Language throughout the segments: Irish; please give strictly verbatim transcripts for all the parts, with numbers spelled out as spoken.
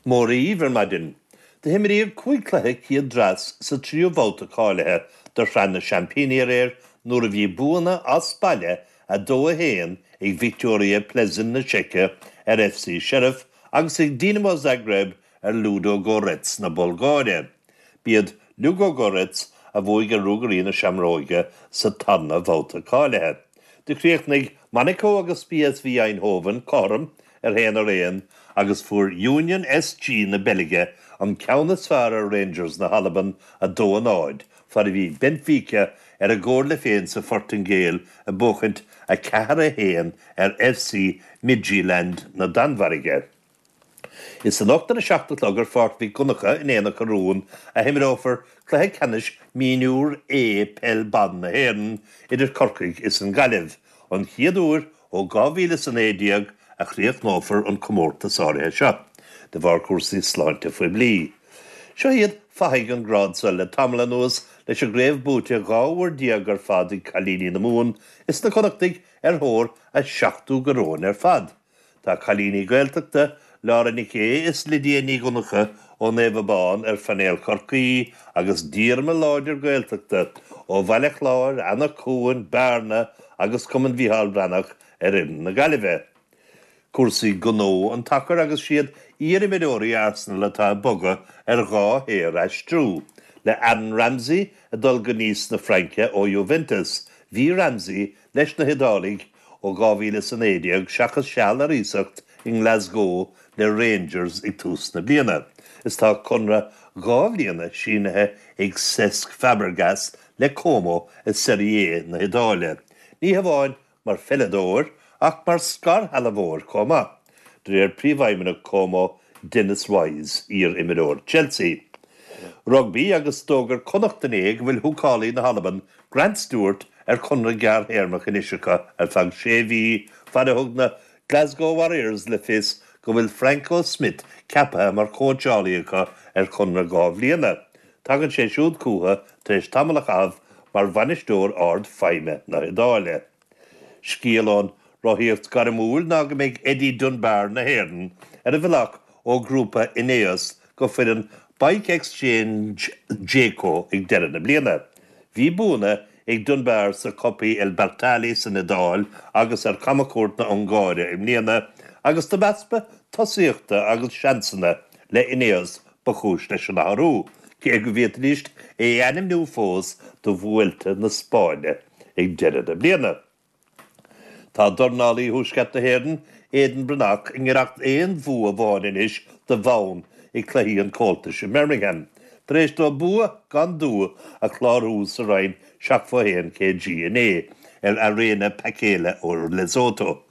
Mora daoibh ar maidin. Do himríodh cúig chluiche chéad dreas sa tríú babhta cáilithe do Shraith na Seaimpíní aréir nuair a bhí buanna as baile a dó a haon ag Viktoria Plzeň na Seice ar FC Sheriff agus ag Dinamo Zagreb ar Ludogorets na Bulgáire. B'iad Ludogorets a bhuaigh ar Ruagairí na Seamróige sa tarna babhta cáilithe. Do chríochnaigh Monaco agus PSV Eindhoven cothrom ar haon ar aon agus fuair Union SG na Beilge an ceann is fearr ar Rangers na hAlban a dó a náid, fad a bhí Benfica ar a gcomhairle féin sa Phortaingéil ag buachaint a ceathair a haon ar FC Midtjylland na Danmhairge. Is anocht ar a seacht a chlog ar Pháirc Mhic Donncha in Aonach Urmhumhan a himreofar cluiche ceannais Mionúr A Peil Ban na hÉireann idir Corcaigh is an Ghaillimh, an chéad uair ó dhá mhíle is a naoi déag a chríochnófar an comórtas áirithe seo, de bharr cúrsaí sláinte phoiblí. Seo iad fathaigh an grád seo le tamall anuas leis an gcraobh buaite dhá uair déag ar fad ag cailíní na Mumhan is na Connachtaigh ar thóir a seachtú coróin ar fad. Tá cailíní Gaeltachta Laura Nic Aodha is Lydia Ní Dhonncha ó Naomh Abán ar phainéal Chorcaí agus díorma láidir Gaeltachta ó Bhaile Chláir, Anach Cuain, Bearna agus Cumann Mhícheál Breathnach ar fhoireann na Gaillimhe. Cúrsaí gnó an tsacair agus siad iarimreoirí Arsenal atá ag bogadh ar dhá shaoraistriú, le Aaron Ramsey ag dul go Nice na Fraince ó Juventus, bhí Ramsey leis na hIodálaigh ó dhá mhíle is a naoi déag seachas seal ar iasacht i nGlasgow le Rangers ag tús na bliana. Is tá conradh dhá bhliana sínithe ag Cesc Fabregas le Como i Serie A na hIodáile. Ní hamháin mar pheileadóir ach mar scairshealbhóir chomh maith. De réir príomhfheidhmeannach Como Dennis Wise iar-imreoir Chelsea. Rugbaí agus d'fhógair Connacht inné go bhfuil húcálaí na hAlban Grant Stewart ar chonradh gearrthéarmach anois acu ar feadh sé mhí fad a thug na Glasgow Warriors le fios go bhfuil Franco Smith ceaptha mar chóitseálaí acu ar chonradh dhá bhliana. Tagann sé siúd chucu tar éis tamall a chaitheamh mar bhainisteoir ardfheidhme na hIodáile. Scéal ón rothaíocht gairmiúil ná go mbeidh Eddie Dunbar na hÉireann ar a bhealach ó ghrúpa Ineos go foireann Bike Exchange Jayco ag deireadh na bliana. Bhí buanna ag Dunbar sa Coppi e Bartali san Iodáil agus ar Chamchuairt na hUngáire i mbliana, agus dob easpa tosaíochta agus seansanna le Ineos ba chúis leis an athrú, cé go bhféadfaidís é a ainmniú fós do Vuelta na Spáinne ag deireadh na bliana. Tá dornálaí Thuaisceart na hÉireann Aidan Breathnach i ngiorracht aon bhua amháin anois do bhonn ag Cluichí an Chomhaltais i mBirmingham, tar éis dó bua gan dua a chlárú sa roinn seachtó haon kg inné ar Arena Pakela ó Lesotho.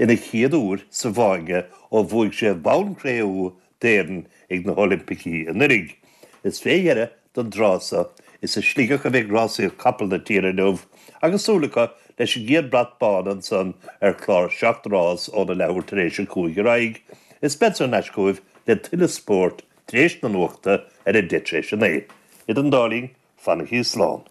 Ina chéad uair sa bhfáinne ó bhuaigh sé bonn cré-umha d'Éirinn ag na hOilimpicí anuraidh. Is fé dheireadh don dtráth seo is i Sligeach a bheidh rásaíocht capall na tíre inniu agus súil acu leis an gcéad brat bán ansan ar chlár seacht rás óna leathuair tar éis a cúig ar aghaidh. Is beidh thar n-ais chugaibh le tuilleadh spóirt tar éis na nuachta ar a deich tar éis a naoi. Idir an dá linn, fanaigí slán.